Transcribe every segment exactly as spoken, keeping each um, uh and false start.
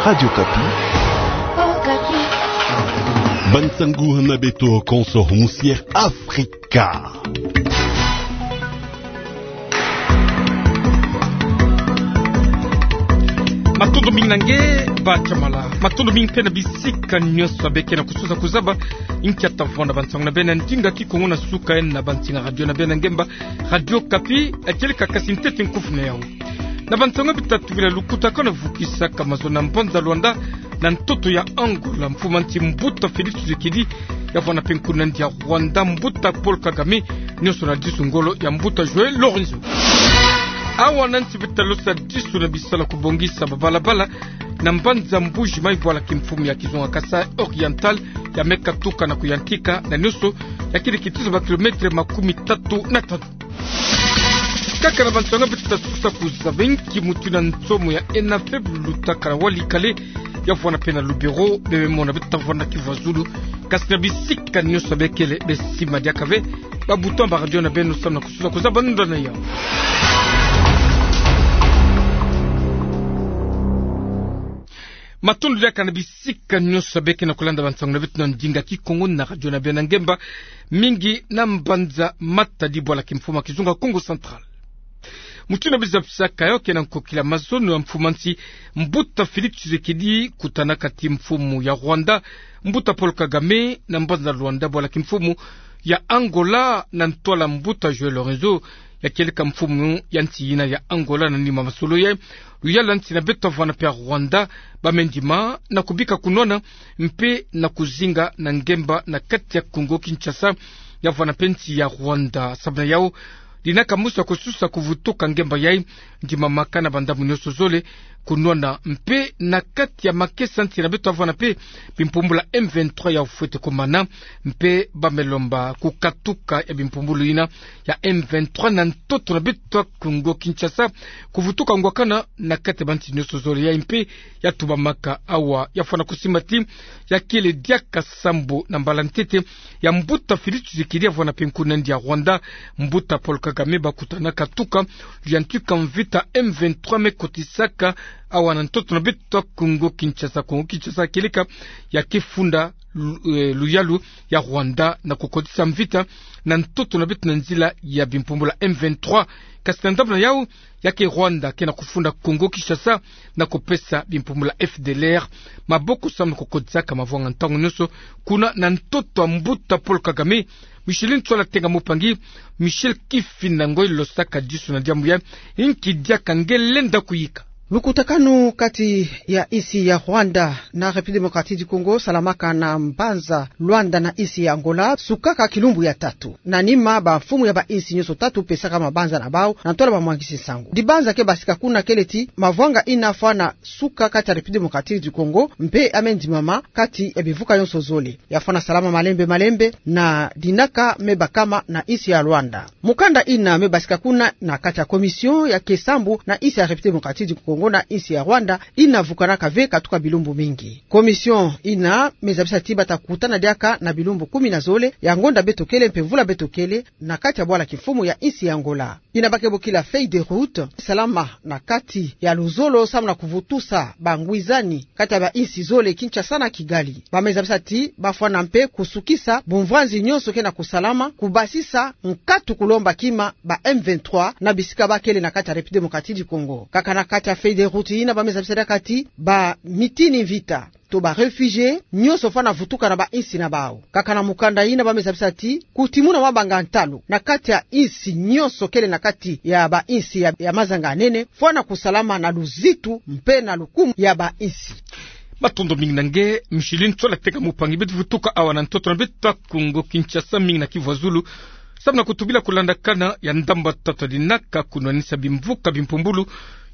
Radio Okapi. Bansangu na beto konso husier Afrika. Matondo mingi na nge, Ba Chamala. Matondo mingi mpe na bisika nyonso beke na kususa kuzaba. Inkia tavwanda bansangu na beno na ndinga Kikongo na suka ena bansinga radio na beno ya ngemba, Radio Okapi, ya kieleka. Kasi ntete nkufi na yau. Na bansangu bita tubila: lukutakanu vukisaka mazono na mbanza Luanda na ntoto ya Angola, mfumu a nsi mbuta Félix Tshisekedi, ya vwanda mpe nkunga na yandi ya Rwanda mbuta Paul Kagame, nyonso na disu ngolo ya mbuta João Lourenço. Awa na nsi bita losa disu na bisalu ya kubongisa babalabala na mbanza Mbuji-Mayi, bwala kimfumu ya kizunga Kasaï Oriental, ya me katuka na kuyantika na nyonso ya kiri kitizo ba kilomètre makumi tatu na tanu. Kaka na bansangu bita susa kuzaba: inki mutu na nsomo ya ENAFEB lutaka na Walikale, ya vwanda mpe na Lubero, bebe mona bita vwanda na Kivu ya Zulu. Kasi na bisika nyonso bekele, besi madiaka ve ba bouton ba radio na beno samu na kususa kuzaba ndona yau. Matondo diaka na bisika nyonso beke na kulanda bansangu na beto na ndinga Kikongo na radio na beno ya ngemba, mingi na mbanza Matadi, bwala kimfumu ya kizunga Kongo Central. Mutu na biza bisaka yo ke na nkokila mazono ya mfumu a nsi mbuta Félix Tshisekedi, kutanaka ti mfumu ya Rwanda mbuta Paul Kagame na mbanza Luanda, bwala kimfumu ya Angola, na ntwala mbuta João Lourenço, ya kieleka mfumu ya nsi yina ya Angola. Na nima masolo yayi, luyalu ya nsi na beto ya vwanda mpe ya Rwanda, ba me ndima na kubika kunwana mpe na kuzinga na ngemba na kati ya Kongo Kinshasa, ya vwanda mpe nsi ya Rwanda. Samu na yau, dinaka musa kususa kuvutuka ngemba yayi ndimamaka na bandambu nyonso zole, kunwana mpe na kati ya makesa nsi na beto ya vwanda mpe bimpumbulu ya M vingt-trois ya fwete kumana, mpe ba me lomba kukatuka ya bimpumbulu yina ya M vingt-trois na ntoto na beto ya Kongo Kinshasa, kuvutuka ngwakana na kati ya bansi nyonso zole. Yayi mpe ya tubamaka awa, ya fwana kusimba ti ya kele diaka sambu na mbala ntete ya mbuta Félix Tshisekedi ya vwanda mpe nkunga na yandi ya Rwanda mbuta Paul Kagame, ba kutanaka tuka luyantika mvita M vingt-trois me kotisaka awa na ntoto na beto ya Kongo Kinshasa. Kongo Kinshasa kieleka ya ke funda lu-, eh, luyalu ya Rwanda na kukotisa mvita na ntoto na beto na nzila ya bimpumbulu ya M vingt-trois. Kasi na ndambu na yau, ya ke Rwanda ke na kufunda Kongo Kinshasa na kupesa bimpumbulu ya F D L R maboko samu na kukotisaka mavwanga ntangu nyonso kuna na ntoto ya mbuta Paul Kagame. Micheline Ntsola Tenga Mupangi, Michel Kifinda Ngoi losaka disu na diambu yayi. Inki diaka nge lenda kuyika? Lukutakanu kati ya insi ya Rwanda na République Démocratique du Congo salamaka na mbanza Luanda na insi ya Angola sukaka kilumbu ya tatu. Na nima, bamfumu ya bainsi nyonso tatu pesaka mabanza na bau na ntwala bamwangisi nsangu. Dibanza ke basika kuna kele ti mavwanga ina fwana suka kati ya République Démocratique du Congo, mpe ya me ndimama kati ya bimvuka nyonso zole. Ya fwana salama malembe malembe na dinaka me bakama na insi ya Luanda. Mukanda ina me basika kuna na kati ya commission ya ke sambu na insi ya République Démocratique du Congo na insi ya Rwanda, ina vukanaka ve katuka bilumbu mingi. Commission ina me zabisa ti bata kutana diaka na bilumbu kumi na zole ya ngonda beto kele mpe mvula beto kele, na kati ya bwala kimfumu ya insi ya Angola. Ina ba ke bokila feuille de route, salama na kati ya luzolo samu na kuvutusa bangwizani kati ya bainsi zole, Kinshasa na Kigali. Ba me zabisa ti ba fwana mpe kusukisa bumvwanzi nyonso ke na kusalama, kubasisa nkatu kulomba kima ba M vingt-trois na bisika ba kele na kati ya République Démocratique du Congo. Kaka na kati ya feuille de route ina, ba me zabisa diaka ti bamitini mvita to ba réfugiés nyonso fwana vutuka na bainsi na bau. Kaka na mukanda ina, ba me zabisa ti kutimuna mwa bangantalu na kati ya insi nyonso kele na kati ya bainsi ya, ya mazanga nene fwana kusalama na luzitu mpe na lukumu ya bainsi. Matondo mingi na nge, Micheline Ntsola Tenga Mupangi. Beto vutuka awa na ntoto na beto ya Kongo Kinshasa, mingi na Kivu ya Zulu, samu na kutubila kulandakana ya ndambu ya tatu ya dinaka kunwanisa bimvuka bimpumbulu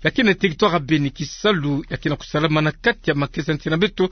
ya ke na territoire ya Beni, kisalu ya ke na kusalama na kati ya makesa nsi na beto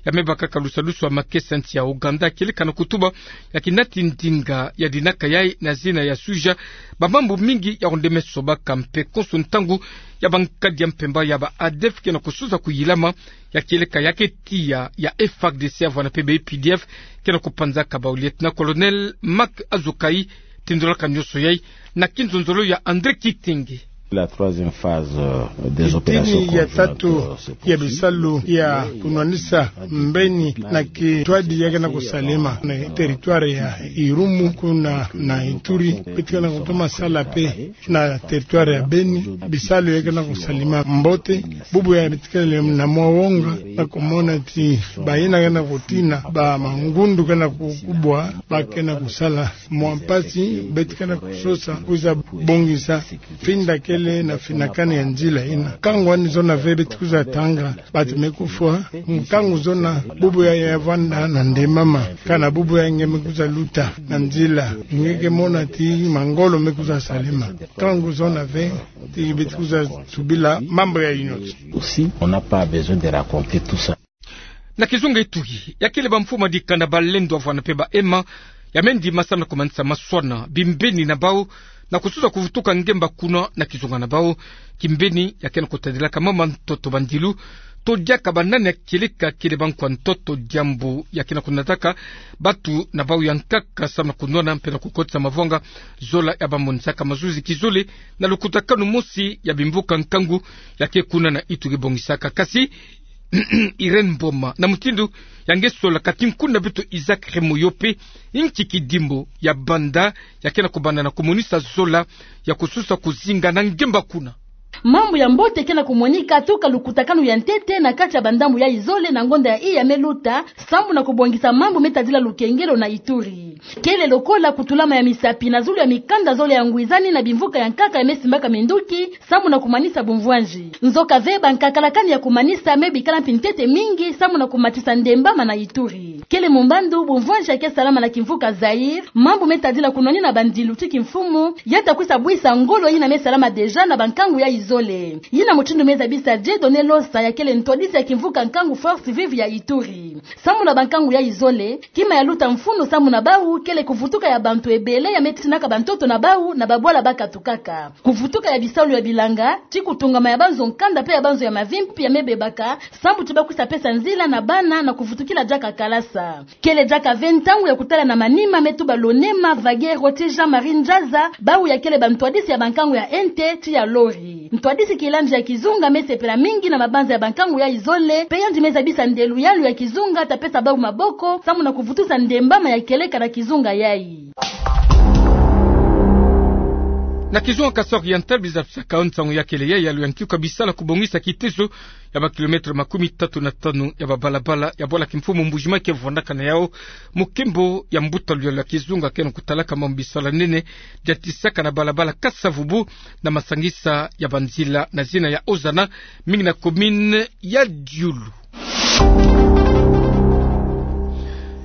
ya me bakaka lusalusu ya makesa nsi ya Ouganda, kieleka na kutuba ya kinati ndinga ya dinaka yayi na zina ya suja bamambu mingi ya kondeme sobaka mpe konso ntangu ya bankadi ya mpemba ya ba ADF ke na kusuza kuyilama, ya kieleka ya ke tiya ya FARDC ya vwana mpe ba UPDF ke na kupanzaka bau. Lieutenant-colonel Marc Azokaï tindolaka nyonso yayi na kinzonzolo ya André Kitenge. La troisième phase, euh, des opérations conjointes, euh, se poursuit. Kitini ya tatu ya bisalu ya kunwanisa mbeni na kintwadi ya ke na kusalema na territoire ya Irumu kuna na Ituri, beto ke na kutoma sala mpe na territoire ya Beni, bisalu ya ke na kusalema mbote, bubu ya beto ke na mwa wonga na kumona ti bayina ke na kutina, ba mangundu ke na kukubwa, ba ke na kusala mwa mpasi, beto ke na kusosa kwiza bongisa finda kele na finakani ya nzila yina. Nkangu wani zona ve beto kwiza tanga, bantu me kufwa, nkangu zona bubu yayi ya vwanda na ndembama, kana bubu yayi nge me kwiza luta na nzila, nge ke mona ti mangolo me kwiza salema. Nkangu zona ve ti beto kwiza tubila mambu yayi yonso. Aussi, on n'a pas besoin de raconter tout ça. Na kizunga Ituri, ya kele bamfumu ya dikanda, balendo, bavwanda mpe ba ema, ya me ndima samu na kumanisa maswana, bimbeni na bau, na kusosa kuvutuka ngemba kuna na kizunga na bau. Kimbeni ya ke na kutadilaka mama ntoto bandilu, to diaka banani ya kieleka kele bankwa ntoto, diambu ya ke na kunataka bantu na bau ya nkaka samu na kunwana mpe na kukotisa mavwanga, zola ya bamonisaka mazuzi kizole na lukutakanu mosi ya bimvuka nkangu ya ke kuna na Ituri bongisaka. Kasi Irène Mboma, na mutindu ya nge sola, kati nkuna beto Isaac Remoyo mpe, nki kidimbu ya banda ya ke na kubanda na kumonisa zola ya kusosa kuzinga na ngemba kuna? Mambu ya mbote ke na kumonika tuka lukutakanu ya ntete na kati ya bandambu yayi zole na ngonda yayi ya me luta, sambu na kubongisa mambu me tadila lukengelo na Ituri. Kele lokola kutulama ya misapi na zulu ya mikanda zole ya ngwizani na bimvuka ya nkaka ya me simbaka minduki, sambu na kumanisa bumvwanzi. Nzoka ve, bankakalakani ya kumanisa me bikala mpi ntete mingi, sambu na kumatisa ndembama na Ituri. Kele mumbandu bumvwanzi ya ke salama na kimvuka Zaïre, mambu me tadila kunwanina bandilu ti kimfumu, ya ta kwisa bwisa ngolo yina me salama déjà na bankangu yayi zole. Yina mutindu me zabisa Dieudonné Losa, ya kele ntwadisi ya kimvuka nkangu Forces Vives ya Ituri. Sambu na bankangu yayi zole, kima ya luta mfunu sambu na bau kele kuvutuka ya bantu ebele ya me tinaka bantoto na bau na babwala ba katukaka. Kuvutuka ya bisalu ya bilanga, ti kutungama ya banzo nkanda mpe ya banzo ya mavimpi ya me bebaka, sambu ti ba kwisa pesa nzila na bana na kuvutukila diaka kalasa. Kele diaka ve ntangu ya kutala na manima me tuba Lonema, Vaguero ti Jean-Marie Njaza, bau ya kele bantwadisi ya bankangu ya N T ti ya Lori. Ntwadisi Kilanji ya kizunga me sepela mingi na mabanza ya bankangu yayi zole, mpe yandi me zabisa nde luyalu ya kizunga ta pesa bau maboko, sambu na kuvutusa ndembama ya kieleka na kizunga yayi. Na kizunga Kasaï Oriental, biza tusaka nsangu ya kele yayi ya luyantika bisalu ya kubongisa kitezo ya ba kilomètre makumi tatu na tanu ya babalabala ya bwala kimfumu Mbuji-Mayi ke vwandaka na yau, mu nkembo ya mbuta luyalu ya kizunga ke na kutalaka mambu bisalu ya nene, diatisaka na balabala Kasa-Vubu na masangisa ya banzila na zina ya Ozana, mingi na commune ya Diulu.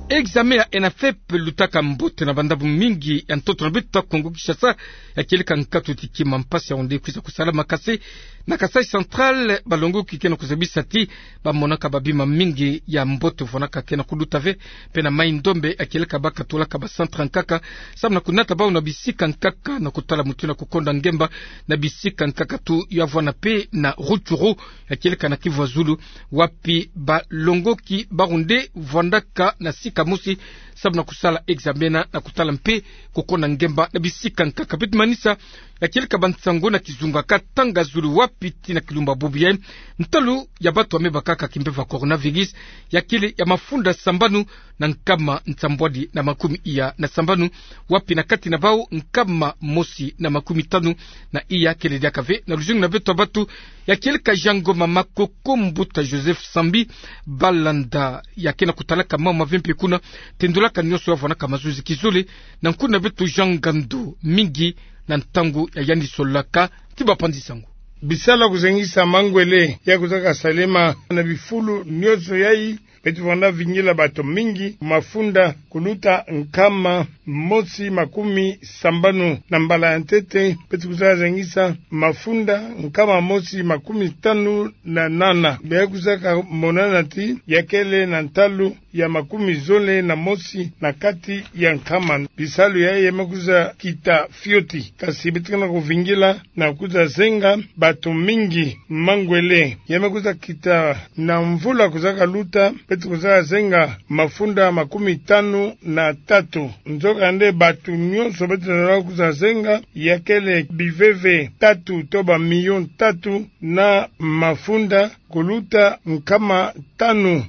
Examen ya ENAFEP lutaka mbote na bandambu mingi ya ntoto na beto ya Kongo Kinshasa, ya kieleka nkatu ti kima mpasi ya onde kwiza kusalama. Kasi na Kasaï Central, balongoki ke na kuzabisa ti bamonaka babima mingi ya mbote vwandaka ke na kuluta ve, mpe na Mai-Ndombe, ya kieleka ba katolaka ba centre ya nkaka, sambu na kunata bau na bisika nkaka na kutala mutindu ya kukonda ngemba na bisika nkaka tu. Ya vwanda mpe na Rutshuru, ya kieleka na Kivu ya Zulu, wapi balongoki bawu nde vwandaka na sika mosi sambu na kusala examen na kutala mpe kukonda ngemba na bisika nkaka. Beto manisa ya kieleka bansangu na kizunga Katanga Zulu, wapi tii na kilumbu bubu yayi, ntalu ya bantu ya me bakaka kimpeve ya coronavirus ya kele ya mafunda sambanu na nkama nsambwadi na makumi iya na sambanu, wapi na kati na bau nkama mosi na makumi tanu na iya kele diaka ve na luzungu na beto ya bantu. Ya kieleka Jean Ngoma Makoko, mbuta Joseph Sambi Balanda, ya ke na kutalaka mama ve mpe kuna, tendolaka nionso ya vwandaka mazuzi kizole na nkuna beto Jean Ngandu, mingi na ntangu ya yandi sololaka ti bapanzi sangu. Bisalu ya kuzengisa mangwele ya kwizaka salema na bifulu nionso yayi, beto vwanda vingila bantu mingi mafunda kuluta nkama mosi makumi sambanu. Na mbala ya ntete, beto kwiza zengisa mafunda nkama mosi makumi tanu na nana. Bia kwizaka monana ti ya kele na ntalu ya makumi zole na mosi na kati ya nkama. Bisalu yayi ya me kwiza kita fioti, kasi beto ke na kuvingila na kwiza zenga bato mingi mangwele. Ya me kwiza kita na mvula kwizaka luta, beto kwizaka zenga mafunda makumi tanu na tatu. Nzokande bato nyonso beto lenda kwiza zenga ya kele biveve tatu to bamilio tatu na mafunda kuluta nkama tanu.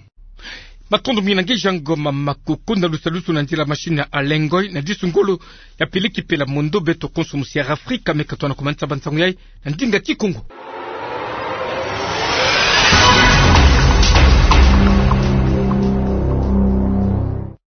Matondo mingi na nge Jean Ngoma Makoko na lusalusu na nzila machine ya Alain Ngoy na disu ngolo ya Peleki Pela Mondo. Beto konso musi ya Afrika me ka twana kumanisa bansangu yayi na ndinga Kikongo.